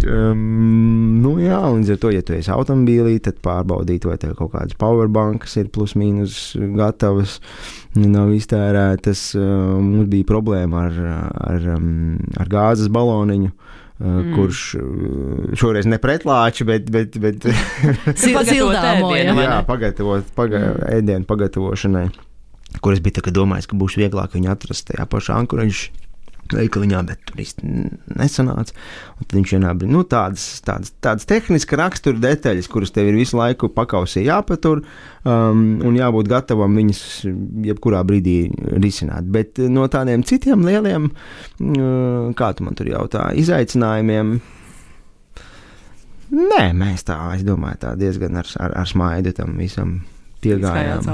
Um, nu jā, un līdz ar to, ja tu esi automobīlī, tad pārbaudīt, vai tev kaut kādas powerbankas ir plus mīnus gatavas, nav iztērētas. Uh, mums bija problēma ar, ar, um, ar gāzes baloniņu, uh, mm. kurš uh, šoreiz ne pretlāči, bet, bet, bet sildāmo, jā, jā, pagatavot, paga, mm. ēdienu pagatavošanai, kuras bija tā, ka domājis, ka būs vieglāk viņu atrast tajā pašā Ankoraģis veikaliņā, bet tur īsti nesanāca. Un tad viņš vienā, nu, tādas, tādas, tādas tehniska rakstura detaļas, kuras tev ir visu laiku pakausī jāpatur, um, un jābūt gatavam viņas jebkurā brīdī risināt. Bet no tādiem citiem lieliem, uh, kā tu man tur jautā, izaicinājumiem, nē, mēs tā, es domāju, tā diezgan ar, ar, ar smaidu tam visam piegājām.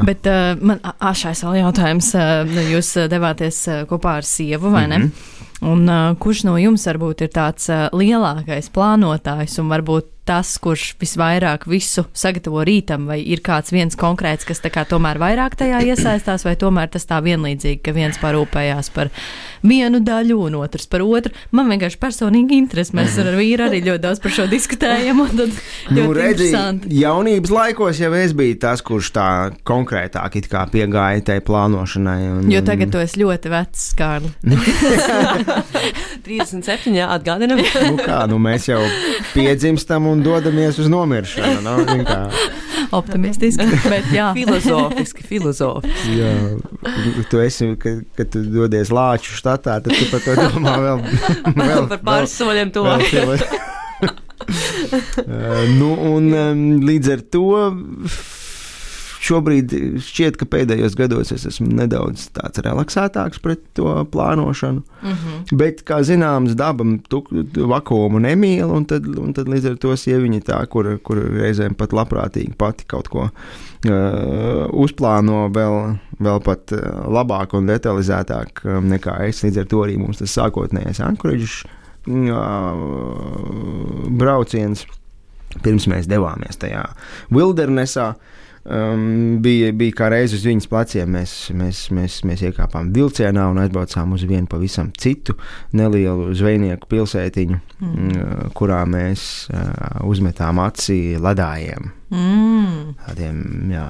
Bet uh, man āšais vēl jautājums, uh, jūs devāties uh, kopā ar sievu, vai ne? Mm-hmm. Un uh, kurš no jums varbūt ir tāds uh, lielākais plānotājs un varbūt tas, kurš visvairāk visu sagatavo rītam, vai ir kāds viens konkrēts, kas tā kā tomēr vairāk tajā iesaistās, vai tomēr tas tā vienlīdzīgi, ka viens parūpējās par vienu daļu un otrs par otru. Man vienkārši personīgi interesi, mēs ar vīru arī ļoti daudz par šo diskutējam, un tad ļoti nu, redzi, interesanti. Jaunības laikos jau es biju tas, kurš tā konkrētāk it kā piegāja tai plānošanai. Un, jo tagad tu esi ļoti vecs, Kārli. trīsdesmit septiņi, jā, atgādinam. Nu kā, nu mēs jau piedzimstam un dodamies uz nomiršanu, no? Kā. Optimistiski, bet jā. Filozofiski, filozofiski. Jā, tu esi, kad, kad tu dodies Lāču štatā, tad tu par to domā vēl. vēl par pāris soļiem tuvāk. uh, nu, un um, līdz ar to šobrīd šķiet, ka pēdējos gados es esmu nedaudz tāds relaksētāks pret to plānošanu, mm-hmm. bet, kā zināms, daba vakuumu nemīl, un tad, un tad līdz ar to sieviņa tā, kur, kur reizēm pat labprātīgi pati kaut ko uh, uzplāno vēl, vēl pat uh, labāk un detalizētāk um, nekā es. Līdz ar to arī mums tas sākotnējais Ankoraģis uh, brauciens, pirms mēs devāmies tajā Wildernessā. Um, bija, bija kā reiz uz viņas pleciem. Mēs, mēs, mēs, mēs iekāpām vilcienā un aizbraucām uz vienu pavisam citu nelielu zvejnieku pilsētiņu, mm. kurā mēs uh, uzmetām aci ledājiem. Mm. Tādiem, jā,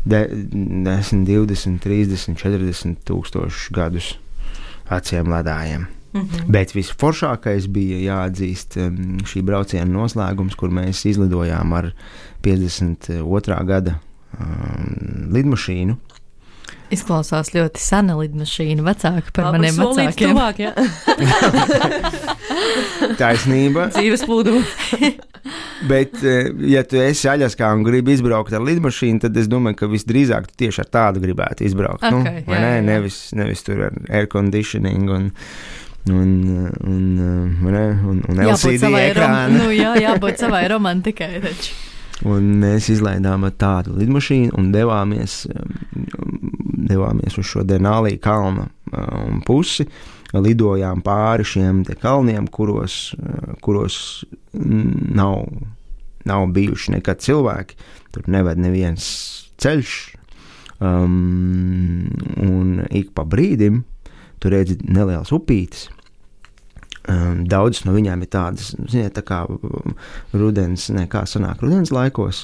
de, desmit, divdesmit, trīsdesmit, četrdesmit tūkstoši gadus aciem ledājiem. Mm-hmm. Bet visforšākais bija jāatzīst um, šī brauciena noslēgums, kur mēs izlidojām ar piecdesmit otrā gada um, lidmašīnu. Izklausās ļoti sena lidmašīna, vecāka par Labi, maniem vecākiem. Tuvāk, ja? Taisnība. Dzīves plūdu. Bet, ja tu esi Aļaskā un gribi izbraukt ar lidmašīnu, tad es domāju, ka visdrīzāk tu tieši ar tādu gribētu izbraukt. Okay, nu, jā, vai ne? Jā. Nevis, nevis tur ar air conditioning un un, un, un, un, un L C D ekrānu. Nu, jā, jābūt savai romantikai taču. Un mēs izlaidām ar tādu lidmašīnu un devāmies, devāmies uz šo Denali kalna um, pusi, lidojām pāri šiem te kalniem, kuros, kuros nav, nav bijuši nekad cilvēki, tur neved neviens ceļš, um, un ik pa brīdim tu redzi nelielas upītes. Um, daudzas no viņām ir tādas, ziniet, tā kā rudens, ne, kā sanāk rudens laikos,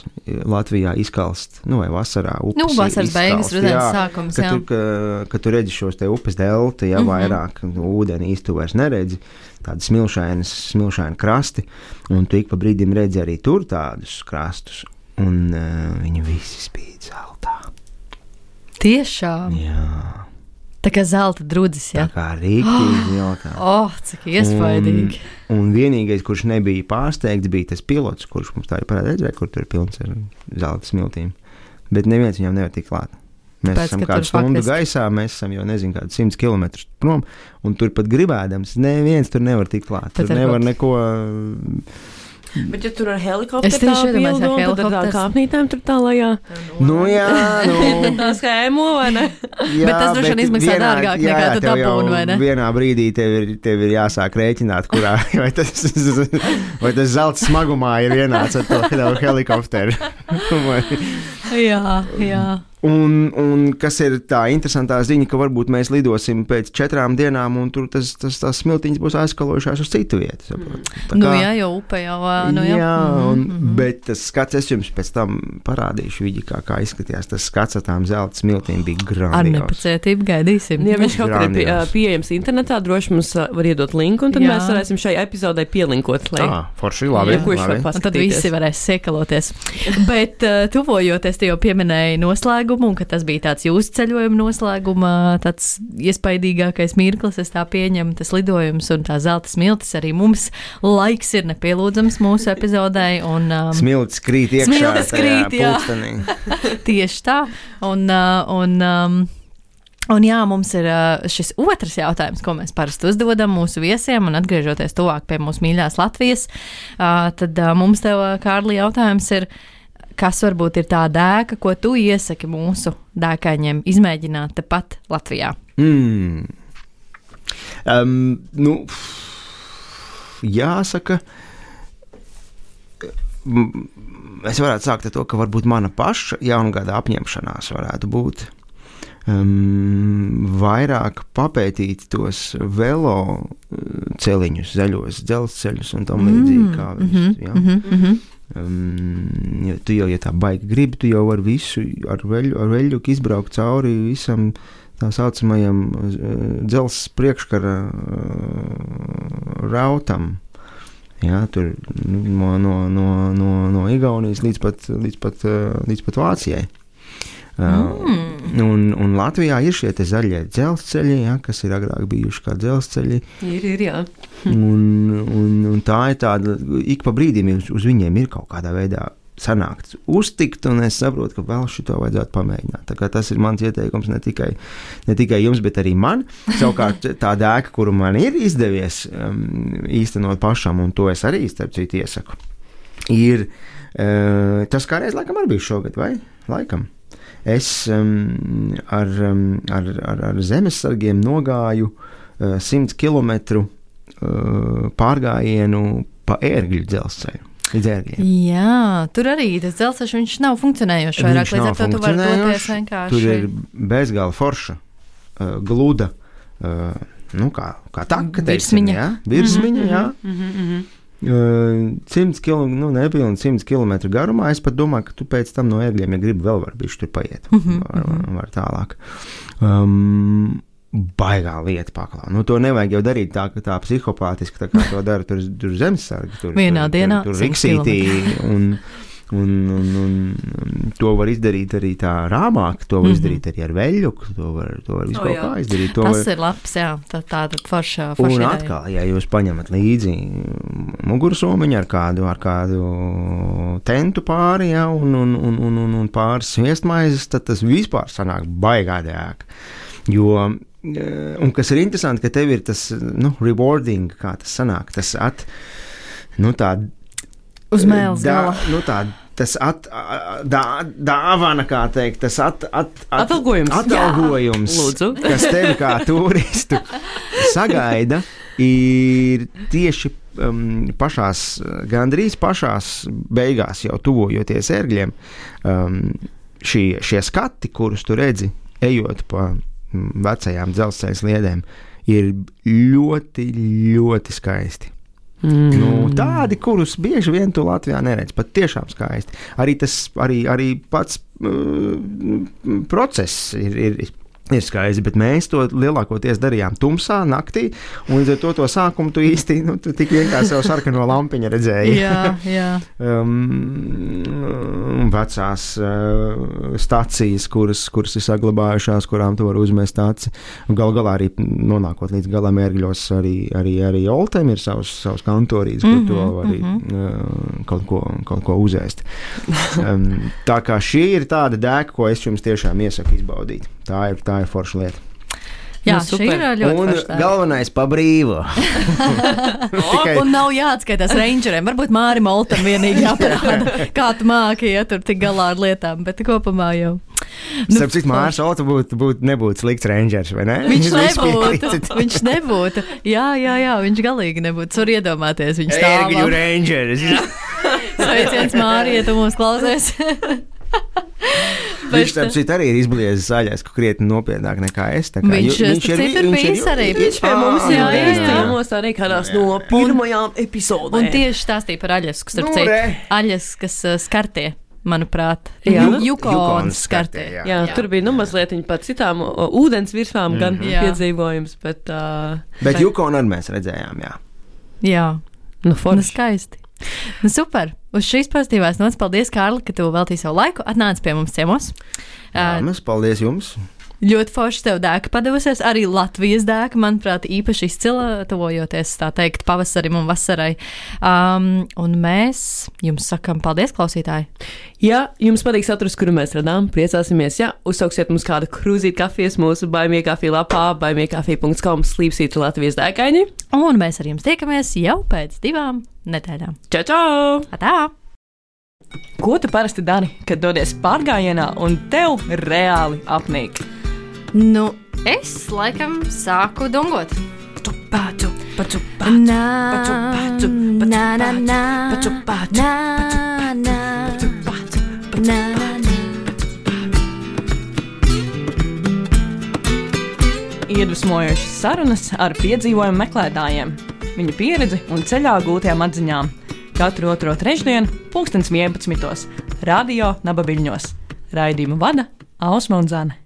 Latvijā izkalst, nu vai vasarā upes. Nu, vasaras beigas, rudens jā, sākums, ka jā. Tu, ka, ka tu redzi šos te upes delta, ja mm-hmm. vairāk ūdeni īsti tu vairs neredzi, tādi smilšainas, smilšaini krasti, un tu ik pa brīdim redzi arī tur tādus krastus, un uh, viņi visi spīd zeltā. Tiešām? Jā. Tā kā zelta drudzis, jā? Tā kā rīktīgi jautā. Oh, cik iespaidīgi. Un, un vienīgais, kurš nebija pārsteigts, bija tas pilots, kurš mums tā ir parāda redzēt, kur tur ir pilns ar zelta smiltīm. Bet neviens viņam nevar tikt klāt. Mēs Pēc, esam kādu stundu faktiski... gaisā, mēs esam jau nezinu kādu simts kilometrus prom, un tur pat gribēdams, neviens tur nevar tikt klāt. Tur nevar kaut... neko... Bet, ja tur ar helikopteru tā pildu, tad ar tām kāpnītēm tur tālajā. Nu, jā, nu. Tā skēmo, vai ne? Jā, bet tas droši vien izmaksā dārgāk nekā tu dabūni, vai ne? Vienā brīdī tev ir, tev ir jāsāk rēķināt, kurā, vai tas, vai tas zelts smagumā ir vienāds ar to helikopteru. Jā, jā. Un, un kas ir tā interesantā ziņa, ka varbūt mēs lidosim pēc četrām dienām, un tur tas, tas, tas smiltiņas būs aizskalojušās uz citu vietu. Saprot. Tā kā, nu jā, jau upe jau. Nu jā, jā un, mm-hmm. bet tas skats, es jums pēc tam parādīšu vidi, kā, kā izskatījās. Tas skats ar tām zelta smiltīm bija grandios. Ar nepacietību gaidīsim. Ja viņš kaut kur ir pie, pieejams internetā, droši mums var iedot linku, un tad jā. Mēs varēsim šai epizodai pielinkot. Lai... Ah, forši, labi. Jā, labi. Un tad visi varēs siekaloties. Bet uh, tuvojoties, tu jau pieminēji noslēgumu, un ka tas bija tāds jūsu ceļojuma noslēguma, tāds iespaidīgākais mirklis, es tā pieņemu, tas lidojums un tā zelta smiltis arī mums laiks ir nepielūdzams mūsu epizodai. Un, um, smiltis krīt iekšā. Smiltis krīt, jā. Tieši tā. Un, uh, un um, Un jā, mums ir šis otrs jautājums, ko mēs parasti uzdodam mūsu viesiem, un atgriežoties tuvāk pie mūsu mīļās Latvijas, tad mums tev, Kārli, jautājums ir, kas varbūt ir tā dēka, ko tu iesaki mūsu dēkaņiem izmēģināt tepat Latvijā? Mm. Um, nu, jāsaka, es varētu sākt ar to, ka varbūt mana paša jaungada apņemšanās varētu būt um, vairāk papētīt tos velo celiņus, zaļos dzelzceļus un tam līdzīgi kā visu, mm-hmm, ja? mm-hmm. Um, ja tu jau, ja tā baigi gribi, tu jau vari visu ar veļu, ar veļuku izbraukt cauri visam tā saucamajam uh, dzelzs priekškara uh, rautam. Jā, tur no, no, no, no, no Igaunijas līdz pat, līdz pat, uh, līdz pat Vācijai. Mm. Un, un Latvijā ir šie te zaļie dzelzceļi, ja, kas ir agrāk bijuši kā dzelzceļi. Ir, ir, jā. un, un, un tā ir tāda, ik pa brīdim uz, uz viņiem ir kaut kādā veidā sanākts uztikt, un es saprotu, ka vēl šito vajadzētu pamēģināt. Tā kā tas ir mans ieteikums ne tikai, ne tikai jums, bet arī man. Savukārt tā dēka, kuru man ir izdevies um, īstenot pašam, un to es arī starp citu iesaku, ir uh, tas kādreiz laikam arī bija šogad, vai? Laikam. Es um, ar, um, ar, ar, ar zemesargiem nogāju uh, simts kilometru uh, pārgājienu pa ērgļu dzelzceļu. līdz ērgļiem. Jā, tur arī tas dzelzceļš, viņš nav funkcionējošs vairāk, Viņš līdz nav ar to tu vari doties funkcionējošs, vienkārši. Tur ir bezgala forša, uh, gluda, uh, nu kā, kā taka, teiksim, Virsmiņa. jā, virsmiņa, jā. Mhm, mhm. Uh, simts kilometru, nu nepilni simts kilometru garumā. Es pat domāju, ka tu pēc tam no ērgļiem, ja gribi, vēl var bišķi tur paiet. Mhm, Var, var, var tālāk. Um, baigā lieta paklā. Nu, to nevajag jau darīt tā, ka tā psihopātiski, tā kā to dara tur, tur zemesargi. Tur, Vienā tur, dienā Tur, tur simts riksītī un, un, un, un, un to var izdarīt arī tā rāmāk, to var Mhm. izdarīt arī ar veļuku, to var, to var visu O, kaut jā. kā izdarīt. To Tas var, ir labs, jā, tā, tā tad forša, un forša ideja. atkal, ja jūs paņemat līdzi mugursomiņu ar kādu, ar kādu tentu pāri, ja, un, un, un, un, un, un pāris sviestmaizes, tad tas vispār sanāk baigā dēka. Jo, un kas ir interesanti, ka tev ir tas, nu, rewarding, kā tas sanāk, tas at, nu, tā Uz mēles dā- gala. Nu, tā, tas at, dā, dāvana, kā teikt, tas at, at, at, Atalgojums. atalgojums, Jā, lūdzu. kas tevi kā turistu sagaida, ir tieši um, pašās, gandrīz pašās beigās, jau tuvojoties ērgļiem, um, šie, šie skati, kurus tu redzi, ejot pa mm, vecajām dzelzceļa sliedēm, ir ļoti, ļoti skaisti. Mm. Nu, tādi, kurus bieži vien tu Latvijā neredz, pat tiešām skaisti. Arī tas, arī, arī pats uh, process ir, ir, ir skaisti, bet mēs to lielākoties darījām tumsā, naktī, un līdz ar to to sākumu tu īsti, nu, tu tik vienkārši savu sarkano lampiņu redzēji. Jā, jā. Um, vecās uh, stacijas, kuras, kuras ir saglabājušās, kurām tu vari uzmest aci. Gal galā arī nonākot līdz galam ērgļos, arī, arī, arī Oltēm ir savs, savs kantorīts, kur Mhm, tu vari mhm. uh, kaut, ko, kaut ko uzēst. Um, tā kā šī ir tāda dēka, ko es jums tiešām iesaku izbaudīt. Tā ir, tā ir forša lieta. Jā, Nu, šī super. ir ļoti Un forša. galvenais pa brīvu. Tikai Un nav jāatskaitās rangeriem. Varbūt Mārim Oltam vienīgi jāparāda, kā tu māki, ja tur tik galā ar lietām, bet kopumā jau. Starp citu, Mārs Olta būtu, būtu, nebūtu slikts rangers, vai ne? Viņš Jūs visi nebūtu, piekrītat? viņš nebūtu. Jā, jā, jā, viņš galīgi nebūtu. Tur iedomāties, viņš stāv. Ērgļu rangers. Sveiciens Māri, ja tu mūs klausies. Viņš tam citu arī ir izbliezis zaļais, ka krietni nopietnāk nekā es. Tā kā, Viņš, ju- starp ir- citu, ir viņš ir- bijis arī. Viņš pie mums Ā, jau jā, ir jā. ciemos arī kādās no pirmajām epizodēm. Un tieši stāstīja par Aļasku, starp Nu, citu. re. Aļaskas uh, skartie, manuprāt. Jā. Ju- Jukonas Jukonas skartie. skartie, jā. Jā, jā, tur bija nu mazliet par citām o, ūdens virsmām, gan Mhm. Jā. piedzīvojums, bet. Uh, Bet Jukonu arī mēs redzējām, jā. Jā, Nu, nu forši. skaisti. Nu, super. Uz šīs pozitīvās nots paldies, Kārli, ka tu veltīji savu laiku, atnāc pie mums ciemos. jā Uh, mēs paldies jums. Ļoti forši tev dēka padavusies. Arī Latvijas dēka, manuprāt, īpaši izcila, tuvojoties tā teikt pavasarim un vasarai. Um, un mēs jums sakam paldies, klausītāji. Ja jums patīk saturs, kuru mēs radām, priecāsimies, ja uzsauksiet mums kādu krūzīti kafijas mūsu baimie kafija lapā, baimie kafija punkts com slīpsīt Latvijas dēkaini. Un mēs ar jums tiekamies jau pēc divām nedēļām. Čau, čau! Atā! Ko tu parasti dari, kad dodies pārgājienā un tev reāli apnīk? Nu, es laikam sāku dungot. Pācu, pacu, Na, pacu, pacu, pacu, na, na, na, pacu, pacu, na, na, pacu, pacu, pacu, na, na. Iedvesmojošas sarunas ar piedzīvojumu meklētājiem, viņu pieredzi un ceļā gūtajām atziņām. Katru otro trešdienu, pulkstens vienpadsmitos, Radio Naba Viļņos. Raidījumu vada Ausma un Zane.